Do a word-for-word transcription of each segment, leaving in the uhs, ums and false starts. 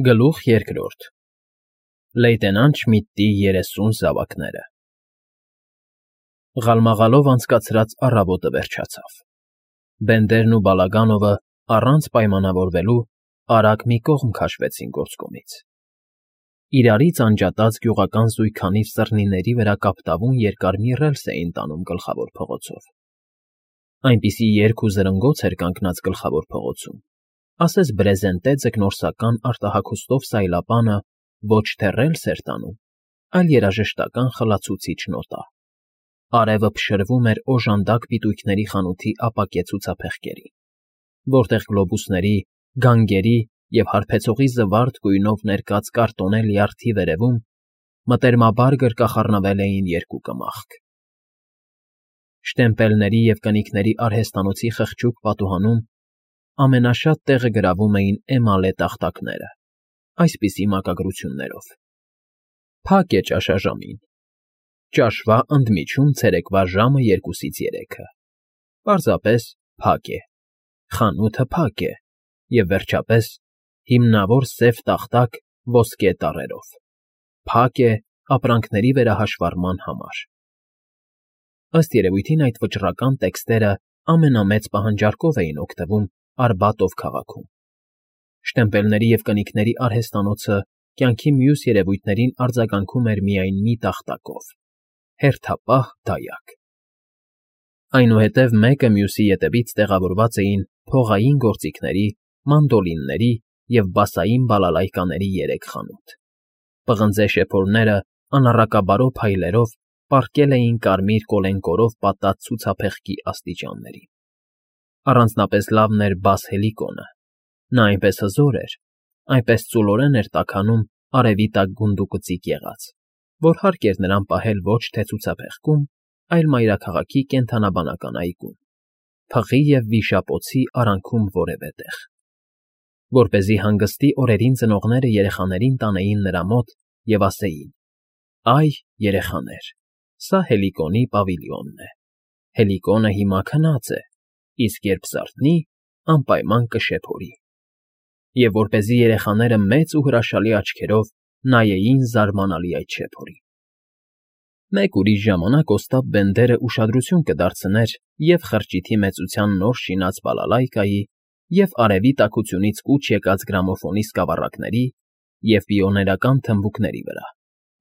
Գլուխ երկրորդ Լեյտենանտ Շմիդտի երեսուն զավակները Ղալմաղալով անցկացրած առավոտը վերջացավ։ Բենդերն ու Բալագանովը առանց պայմանավորվելու արագ մի կողմ քաշվեցին գործկումից։ Իրարից անջատած գյուղական զույգքանիվ սռնիների վրա կապտավուն երկար մի ռելս էին տանում գլխավոր փողոցով։ Այնպիսի երգ ու զրնգոց էր կանգնած գլխավոր փողոցում, ասես բրեզենտե ձկնորսական արտահագուստով սայլապանը ոչ թե ռելս էր տանում, այլ երաժշտական խլացուցիչ նոտա։ Արևը փշրվում էր օժանդակ պիտույքների խանութի ապակե ցուցափեղկերին, որտեղ գլոբուսների, գանգերի և հարբեցողի զվարթ գույնով ներկած կարտոնե լյարդի վերևում մտերմաբար գրկախառնվել էին երկու կմախք։ Շտեմպելների և կնիկների արհեստանոցի խղճուկ պատուհանում ամենաշատ տեղը գրավում էին էմալե տախտակները, այսպիսի մակագրություններով. Փակ է ճաշաժամին, ճաշվա ընդմիջում ցերեկվա ժամը երկուսից երեքը, պարզապես փակ է, խանութը փակ է, և վերջապես, հիմնավոր սև տախտակ ոսկե տառերով, փակ է ապրանքների վերահաշվառման համար։ Ըստ երևույթին այդ վճռական տեքստերը ամենամեծ պահանջարկով էին օգտվում Արբատով քաղաքում։ Շտեմպելների և կնիկների արհեստանոցը կյանքի մյուս երևույթներին արձագանքում էր միայն մի տախտակով՝ հերթապահ դայակ։ Այնուհետև մեկը մյուսի ետևից տեղավորված էին փողային գործիքների, մանդոլինների և բասային բալալայկաների երեք խանութ։ Պղնձե շեփորները անառակաբարո փայլերով պառկել էին կարմիր կոլենկորով պատած ցուցափեղկի աստիճաններին։ Առանձնապես լավն էր բաս հելիկոնը, նա այնպես հզոր էր, այնպես ծուլորեն էր տաքանում արևի տակ գունդուկծիկ եղած, որ հարկ էր նրան պահել ոչ թե ցուցափեղկում, այլ մայրաքաղաքի կենդանաբանական այգում, փղի և վիշապոցի արանքում որևէ տեղ, որպեսզի հանգստի օրերին ծնողները երեխաներին տանեին նրա մոտ և ասեին. «Այ, երեխաներ, սա Հելիկոնի պավիլիոնն է, Հելիկոնը հիմա քնած է, իսկ երբ զարթնի, անպայման կշեփորի», և որպեսզի երեխաները մեծ ու հրաշալի աչքերով նայեին զարմանալի այդ շեփորին։ Մեկ ուրիշ ժամանակ օստապ Բենդերը ուշադրություն կդարձներ և՛ խրճիթի մեծության նոր շինած բալալայկայի, և՛ արևի տաքությունից կուչ եկած գրամոֆոնի սկավառակների և պիոներական թմբուկների վրա,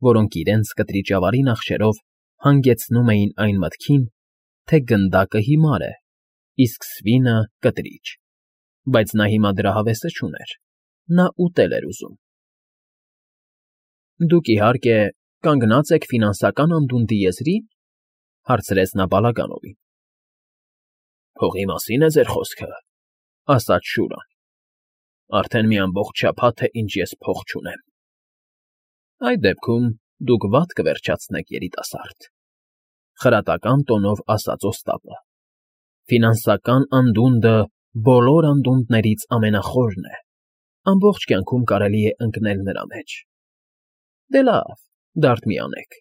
որոնք իրենց կտրիճավարի նախշերով հանգեցնում էին այն մտքին, թե գնդակը հիմար է, իսկ սվինը՝ կտրիճ, բայց նա հիմա դրա հավեսը չուներ, նա ուտել էր ուզում։ ֊ Դուք, իհարկե, կանգնած եք ֆինանսական անդունդի եզրի՞ն,֊ հարցրեց նա Բալագանովին։ ֊ Փողի մասի՞ն է ձեր խոսքը,֊ ասաց Շուրան։ ֊ Արդեն մի ամբողջ շաբաթ է, ինչ ես փող չունեմ։ ֊ Այդ դեպքում դուք վատ կվերջացնեք, երիտասարդ,֊ խրատական տոնով ասաց օստապը։ ֊ Ֆինանսական անդունդը բոլոր անդունդներից ամենախորն է, ամբողջ կյանքում կարելի է ընկնել նրա մեջ։ Դե լավ, դարդ մի անեք։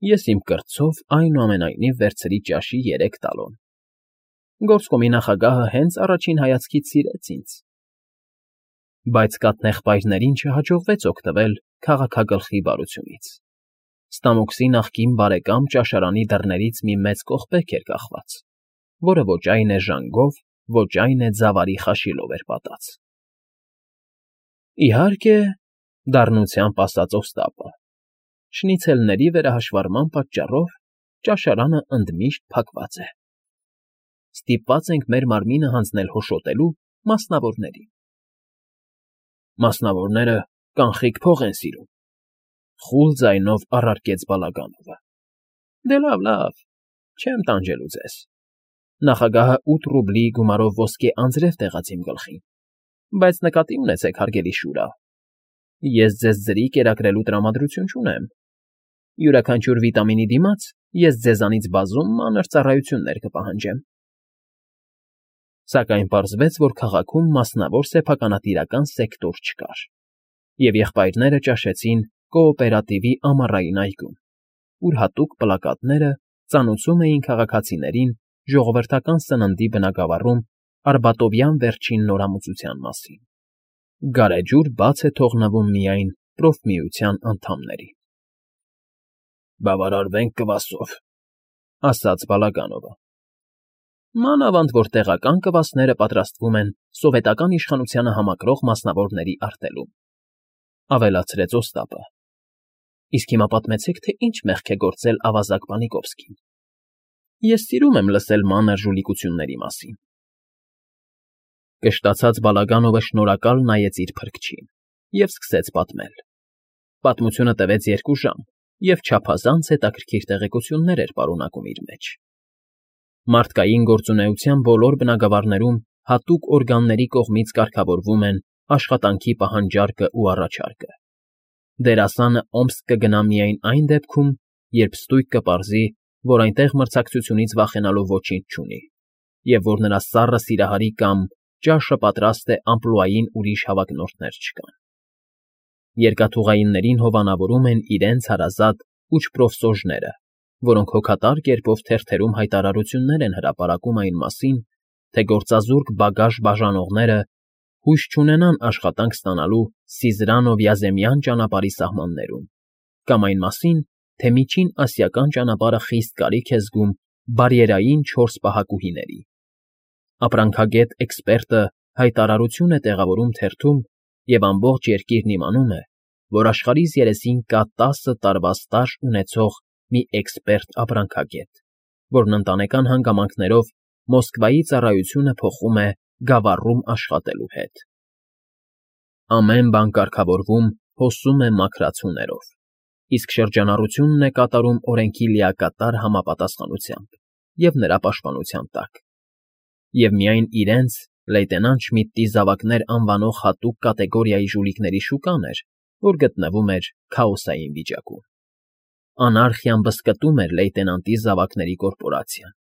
Ես իմ կրտսով այնուամենայնիվ վերցրի ճաշի երեք տալոն։ Գործկոմի նախագահը հենց առաջին հայացքից սիրեց ինձ։ Բայց կաթնեղբայրներին չհաջողվեց օգտվել քաղաքագլխի բարությունից։ Ստամոքսի նախկին բարեկամ ճաշարանի դռներից մի մեծ կողպեք էր կախված, որը ոչ այն է ժանգով, ոչ այն է ձավարի խաշիլով էր պատած։ ֊ Իհարկե,֊ դառնությամբ ասաց օստապը,֊ շնիցելների վերահաշվառման պատճառով ճաշարանը ընդմիշտ փակված է։ Ստիպված ենք մեր մարմինը հանձնել հոշոտելու մասնավորներին։ ֊ Մասնավորները կանխիկ փող են սիրում,֊ խուլ ձայնով առարկեց Բալագանովը։ ֊ Դե լավ, լավ, չեմ տանջելու ձեզ։ Նախագահը ութ ռուբլի գումարով ոսկե անձրև տեղաց իմ գլխին, բայց նկատի ունեցեք, հարգելի Շուրա, ես ձեզ ձրի կերակրելու տրամադրություն չունեմ։ Յուրաքանչյուր վիտամինի դիմաց ես ձեզանից բազում մանր ծառայություններ կպահանջեմ։ Սակայն պարզվեց, որ քաղաքում մասնավոր սեփականատիրական սեկտոր չկար, և եղբայրները ճաշեցին կոոպերատիվի ամառային այգում, ուր հատուկ պլակատները ծանուցում էին քաղաքացիներին ժողովրդական սննդի բնագավառում արբատովյան վերջին նորամուծության մասին։ Գարեջուր բաց է թողնվում միայն պրոֆմիության անդամների։ ֊ Բավարարվենք կվասով, ֊ ասաց Բալագանովը։ ֊ Մանավանդ որ տեղական կվասները պատրաստվում են սովետական իշխանությանը համակրող մասնավորների արտերում, ֊ ավելացրեց Օստապը։ ֊ Իսկ հիմա պատմեցեք, թե ինչ մեղք է գործել ավազակ Պանիկովսկին. ես սիրում եմ լսել մանր ժուլիկությունների մասին։ Կշտացած Բալագանովը շնորհակալ նայեց իր փրկչին և սկսեց պատմել։ Պատմությունը տևեց երկու ժամ և չափազանց հետաքրքիր տեղեկություններ էր պարունակում իր մեջ։ Մարդկային գործունեության բոլոր բնագավառներում հատուկ օրգանների կողմից կարգավորվում են աշխատանքի պահանջարկն ու առաջարկը։ Դերասանը Օմսկ կգնա միայն այն դեպքում, երբ ստույգ կպարզի, որ այնտեղ մրցակցությունից վախենալու ոչինչ չունի, և որ նրա սառը սիրահարի կամ ճաշը պատրաստ է ամպլուային ուրիշ հավակնորդներ չկան։ Երկաթուղայիններին հովանավորում են իրենց հարազատ ուչպրոֆսոժները, որոնք հոգատար կերպով թերթերում հայտարարություններ են հրապարակում այն մասին, թե գործազուրկ բագաժ բաժանողները հույս չունենան աշխատանք ստանալու Սիզրանո֊Վյազեմյան ճանապարհի սահմաններում, կամ այն մասին, թե Միջին Ասիական ճանապարհը խիստ կարիք է զգում բարիերային չորս պահակուհիների։ Ապրանքագետ էքսպերտը հայտարարություն է տեղավորում թերթում, և ամբողջ երկիրն իմանում է, որ աշխարհիս երեսին կա տասը տարվա ստաժ ունեցող մի էքսպերտ ապրանքագետ, որն ընտանեկան հանգամանքներով Մոսկվայի ծառայությունը փոխում է Գավառում աշխատելու հետ։ Ամեն բան կարգավորվում հոսում է մաքրացուներով, իսկ շրջանառությունն է կատարում օրենքի լիակատար համապատասխանությամբ և նրա պաշտպանության տակ, և միայն իրենց լեյտենանտ Շմիդտի զավակներ անվանող հատուկ կատեգորիայի ժուլիկների շուկան էր, որ գտնվում էր քաոսային վիճակում։ Անարխիան բզկտում էր լեյտենանտի զավակների կորպորացիան։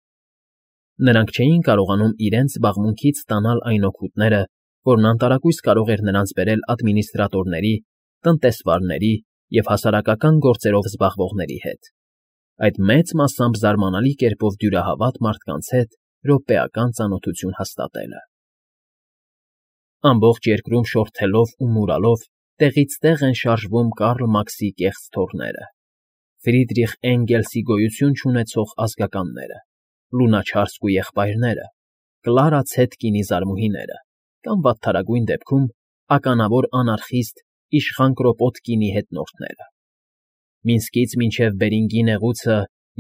Նրանք չէին կարողանում իրենց զբաղմունքից ստանալ այն օգուտները, որն անտարակույս կարող էր նրանց բերել ադմինիստրատորների, տնտեսվարների և հասարակական գործերով զբաղվողների հետ, այդ մեծ մասամբ զարմանալի կերպով դյուրահավատ մարդկանց հետ րոպեական ծանոթություն հաստատելը։ Ամբողջ երկրում շորթելով ու մուրալով տեղից տեղ են շարժվում Կարլ Մաքսի կեղծ թոռները, Ֆրիդրիխ Էնգելսի գոյություն չունեցող ազգականները, Լունաչարսկու եղբայրները, Կլարա Ցետկինի զարմուհիները կամ վատթարագույն դեպքում ականավոր անարխիստ իշխան Կրոպոտկինի հետնորդները։ Մինսկից մինչև Բերինգի նեղուցը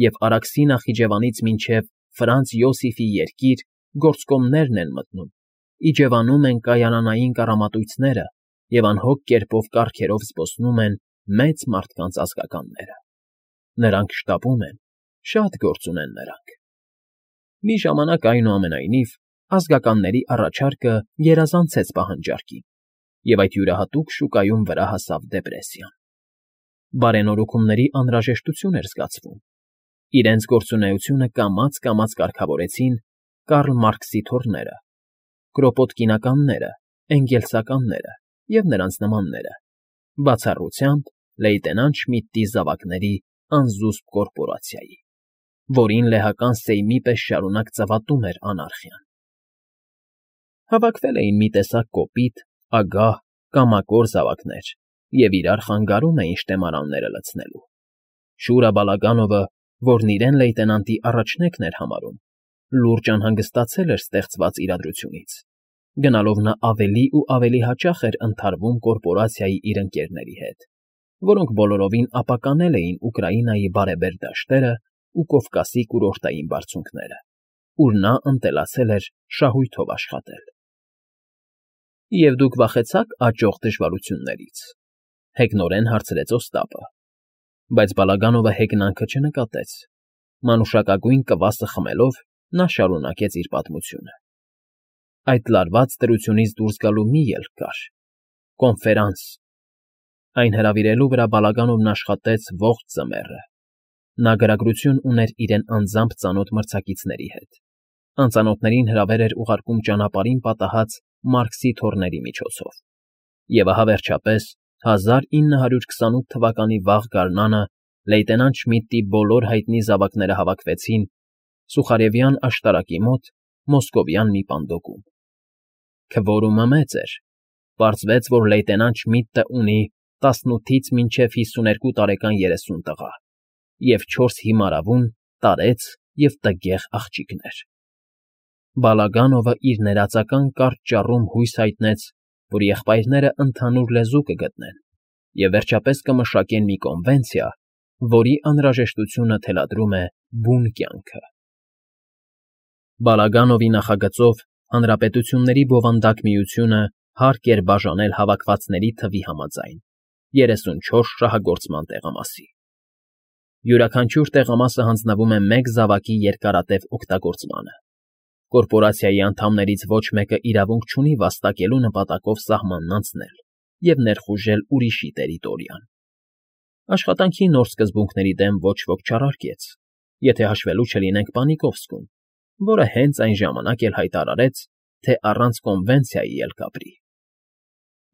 և Արաքսի նախիջևանից մինչև Ֆրանց Յոսիֆի երկիր գործկոմներն են մտնում, իջևանում են կայանանային կառամատույցները և անհոգ կերպով կառքերով զբոսնում են մեծ մարդկանց ազգականները։ Նրանք շտապում են, շատ գործ ունեն նրանք։ Մի ժամանակ, այնուամենայնիվ, ազգականների առաջարկը գերազանցեց պահանջարկին, և այդ յուրահատուկ շուկայում վրա հասավ դեպրեսիան։ Բարենորոգումների անհրաժեշտություն էր զգացվում։ Իրենց գործունեությունը կամաց֊կամաց կարգավորեցին Կարլ Մարքսի թոռները, կրոպոտկինականները, էնգելսականները և նրանց նմանները, բացառությամբ լեյտենանտ Շմիդտի զավակների անզուսպ կորպորացիայի, որին լեհական սեյմի պես շարունակ ծավատում էր անարխիան։ Հավաքվել էին մի տեսակ կոպիտ, ագահ, կամակոր զավակներ և իրար խանգարում էին շտեմարանները լցնելու։ Շուրա Բալագանովը, որն իրեն լեյտենանտի առաջնեկն էր համարում, լուրջ անհանգստացել էր ստեղծված իրադրությունից, գնալով նա ավելի ու ավելի հաճախ էր ընդհարվում կորպորացիայի իր ընկերների հետ, որոնք բոլորովին ապականել էին Ուկրաինայի բարեբեր դաշտերն ու Կովկասի կուրորտային բարձունքները, ուր նա ընտելացել էր շահույթով աշխատել։ ֊ Եվ դուք վախեցա՞ք աճող դժվարություններից, ֊ հեգնորեն հարցրեց Օստապը, բայց Բալագանովը հեգնանքը չնկատեց։ Մանուշակագույն կվասը խմելով՝ նա շարունակեց իր պատմությունը։ Այդ լարված դրությունից դուրս գալու մի ելք կար՝ կոնֆերանս։ Այն հրավիրելու վրա Բալագանովն աշխատեց ողջ ձմեռը։ Նա գրագրություն ուներ իրեն անձամբ ծանոթ մրցակիցների հետ, անծանոթներին հրավեր էր ուղարկում ճանապարհին պատահած Մարքսի թոռների միջոցով, և ահա վերջապես հազար ինը հարյուր քսանութ թվականի վաղ գարնանը լեյտենանտ Շմիդտի բոլոր հայտնի զավակները հավաքվեցին Սուխարևյան աշտարակի մոտ մոսկովյան մի պանդոկում։ Քվորումը մեծ էր, Պարզվեց, որ լեյտենանտ Շմիդտը ունի տասնութից մինչև հիսուներկու տարեկան երեսուն տղա և չորս հիմարավուն, տարեց և տգեղ աղջիկներ։ Բալագանովը իր ներածական կարճ ճառում հույս հայտնեց, որ եղբայրները ընդհանուր լեզու կգտնեն և վերջապես կմշակեն մի կոնվենցիա, որի անհրաժեշտությունը թելադրում է բուն կյանքը։ Բալագանովի նախագծով Հանրապետությունների բովանդակ միությունը հարկ էր բաժանել հավաքվածների թվի համաձայն՝ երեսունչորս շահագործման տեղամասի։ Յուրաքանչյուր տեղամասը հանձնվում է մեկ զավակի երկարատև օգտագործմանը։ Կորպորացիայի անդամներից ոչ մեկը իրավունք չունի վաստակելու նպատակով սահմանն անցնել և ներխուժել ուրիշի տերիտորիան։ Աշխատանքի նոր սկզբունքների դեմ ոչ ոք չառարկեց, եթե հաշվելու չլինենք Պանիկովսկուն, որը հենց այն ժամանակ էլ հայտարարեց, թե առանց կոնվենցիայի էլ կապրի։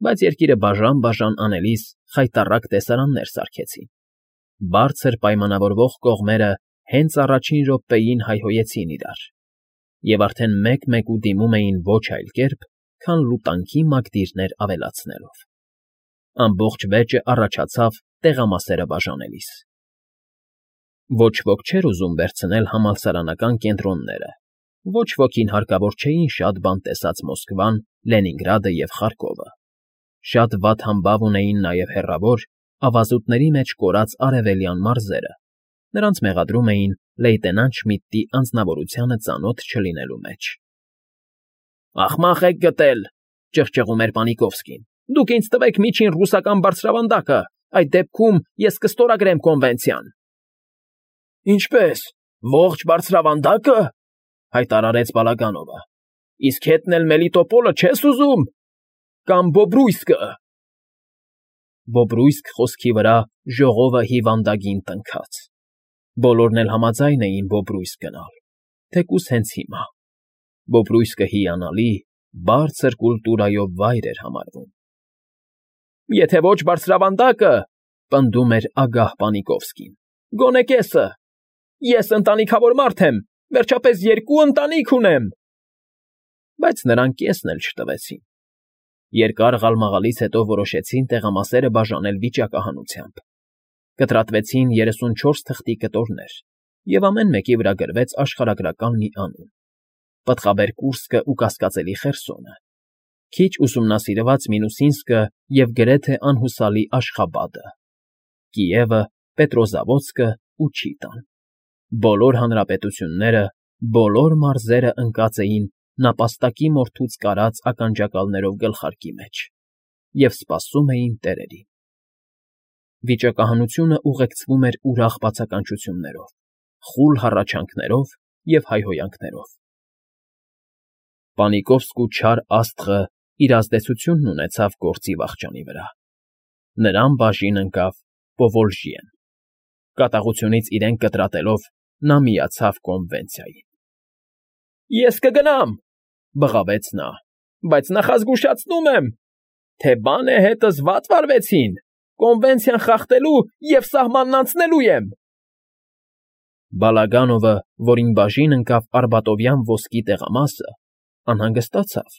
Բայց երկիրը բաժան֊բաժան անելիս խայտառակ տեսարաններ սարքեցին։ Բարձր պայմանավորվող կողմերը հենց առաջին րոպեին հայհոյեցին իրար և արդեն մեկ֊մեկու դիմում էին ոչ այլ կերպ, քան լուտանքի մակդիրներ ավելացնելով։ Ամբողջ վեճը առաջացավ տեղամասերը բաժանելիս։ Ոչ ոք չէր ուզում վերցնել համալսարանական կենտրոնները, ոչ ոքին հարկավոր չէին շատ բան տեսած Մոսկվան, Լենինգրադը և Խարկովը։ Շատ վատ համբավ ունեին նաև հեռավոր, ավազուտների մեջ կորած արևելյան մարզերը, նրանց մեղադրում էին լեյտենանտ Շմիդտի անձնավորությանը ծանոթ չլինելու մեջ։ «Ախմախ եք գտել,֊ ճղճղում էր Պանիկովսկին,֊ դուք ինձ տվեք միջին ռուսական բարձրավանդակը, այդ դեպքում ես կստորագրեմ կոնվենցիան»։ «Ինչպե՞ս, ողջ բարձրավանդա՞կը,֊ հայտարարեց Բալագանովը,֊ իսկ հետն էլ Մելիտոպոլը չես ուզում, կամ Բոբրույսկը։ Բոբրույսկ խոսքի վրա ժողովը հիվանդագին տնքաց։ Բոլորն էլ համաձայն էին Բոբրույսկ գնալ, թեկուզ հենց հիմա։ Բոբրույսկը հիանալի, բարձր կուլտուրայով վայր էր համարվում։ «Եթե ոչ բարձրավանդակը,֊ պնդում էր ագահ Պանիկովսկին,֊ գոնե կեսը։ Ես ընտանիքավոր մարդ եմ, վերջապես երկու ընտանիք ունեմ»։ Բայց նրան կեսն էլ չտվեցին։ Երկար ղալմաղալից հետո որոշեցին տեղամասերը բաժանել վիճակահանությամբ։ Կտրատվեցին երեսունչորս թղթի կտորներ, և ամեն մեկի վրա գրվեց աշխարհագրական մի անուն՝ Պտղաբեր Կուրսկը ու կասկածելի Խերսոնը, քիչ ուսումնասիրված Մինուսինսկը և գրեթե անհուսալի Աշխաբադը, Կիևը, Պետրոզավոդսկը ու Չիտան։ Բոլոր հանրապետությունները, բոլոր մարզերը ընկած էին նապաստակի մորթուց կարած ականջակալներով գլխարկի մեջ և սպասում էին տերերին։ Վիճակահանությունը ուղեկցվում էր ուրախ բացականչություններով, խուլ հառաչանքներով և հայհոյանքներով։ Պանիկովսկու չար աստղը իր ազդեցությունն ունեցավ գործի վախճանի վրա։ Նրան բաժին ընկավ Պովոլժիեն։ Կատաղությունից իրեն կտրատելով՝ նա միացավ կոնվենցիային։ «Ես կգնամ,֊ բղավեց նա,֊ բայց նախազգուշացնում եմ, թե բան է հետս վատ վարվեցին, կոնվենցիան խախտելու և սահմանն անցնելու եմ»։ Բալագանովը, որին բաժին ընկավ Արբատովյան ոսկի տեղամասը, անհանգստացավ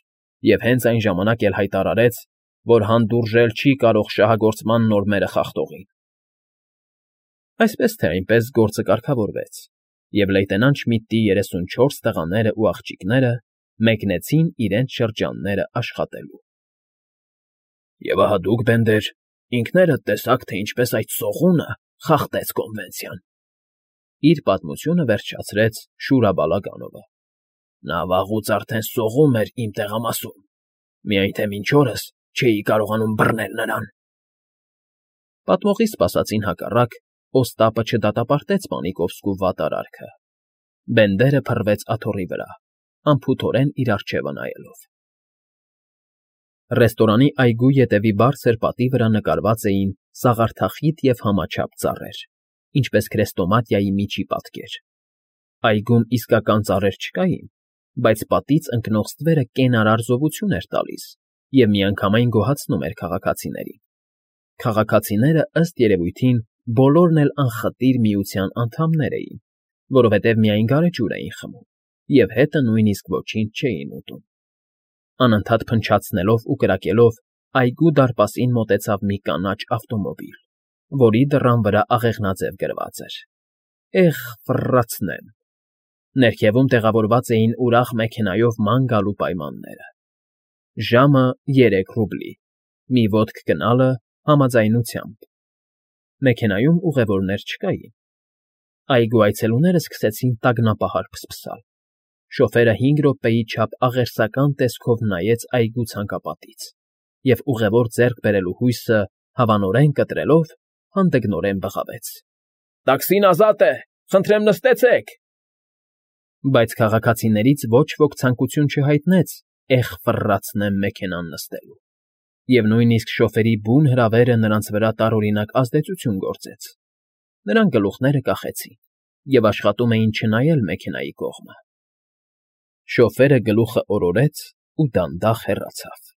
և հենց այն ժամանակ էլ հայտարարեց, որ հանդուրժել չի կարող շահագործման նորմերը խախտողին։ Այսպես թե այնպես գործը կարգավորվեց, և լեյտենանտ Շմիդտի երեսունչորս տղաներն ու աղջիկները մեկնեցին իրենց շրջանները աշխատելու։ «Եվ ահա դուք, Բենդեր, ինքներդ տեսաք, թե ինչպես այդ սողունը խախտեց կոնվենցիան,֊ իր պատմությունը վերջացրեց Շուրա Բալագանովը։ Նա վաղուց արդեն սողում էր իմ տեղամասում, միայն թե մինչ օրս չէի կարողանում բռնել նրան»։ Պատմողի սպասածին հակառակ, Օստապը չդատապարտեց Պանիկովսկու վատ արարքը։ Բենդերը փռվեց աթոռի վրա, անփութորեն իր առջևը նայելով։ Ռեստորանի այգու ետևի բարձր պատի վրա նկարված էին սաղարթախիտ և համաչափ ծառեր, ինչպես քրեստոմաթիայի միջի պատկեր։ Այգում իսկական ծառեր չկային, բայց պատից ընկնող ստվերը կենարար զովություն էր տալիս և միանգամայն գոհացնում էր քաղաքացիներին։ Քաղաքացիները, ըստ երևույթին, բոլորն էլ անխտիր միության անդամներ էին, որովհետև միայն գարեջուր էին խմում և հետը նույնիսկ ոչինչ չէին ուտում։ Անընդհատ փնչացնելով ու կրակելով, այգու դարպասին մոտեցավ մի կանաչ ավտոմոբիլ, որի դռան վրա աղեղնաձև գրված էր. «Էղ, ֆռռացնեմ»։ Ներքևում տեղավորված էին ուրախ մեքենայով ման գալու պայմանները. ժամը երեք ռուբլի, մի ոտք գնալը համաձայնությամբ։ Մեքենայում ուղևորներ չկային։ Այգու այցելուները սկսեցին տագնապահար փսփսալ։ Շոֆերը հինգ րոպեի չափ աղերսական տեսքով նայեց այգու ցանկապատից և ուղևոր ձեռք բերելու հույսը հավանորեն կտրելով հանդգնորեն բղավեց. «Տաքսին ազատ է, խնդրեմ նստեցեք»։ Բայց քաղաքացիներից ոչ ոք ցանկություն չհայտնեց «էղ, ֆռռացնեմ» մեքենան նստելու, և նույնիսկ շոֆերի բուն հրավերը նրանց վրա տարօրինակ ազդեցություն գործեց։ Նրանք գլուխները կախեցին և աշխատում էին չնայել մեքենայի կողմը։ Շոֆերը գլուխը օրորեց ու դանդաղ հեռացավ։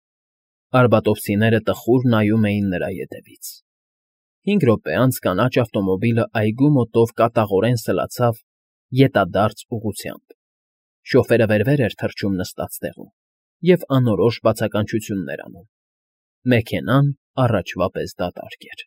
Արբատովցիները տխուր նայում էին նրա ետևից։ Հինգ րոպե անց կանաչ ավտոմոբիլը այգու մոտով կատաղորեն սլացավ ետադարձ ուղղությամբ։ Շոֆերը վեր֊վեր էր թռչում նստած տեղում և անորոշ բացականչություններ անում։ Մեքենան առաջվա պես դատարկ էր։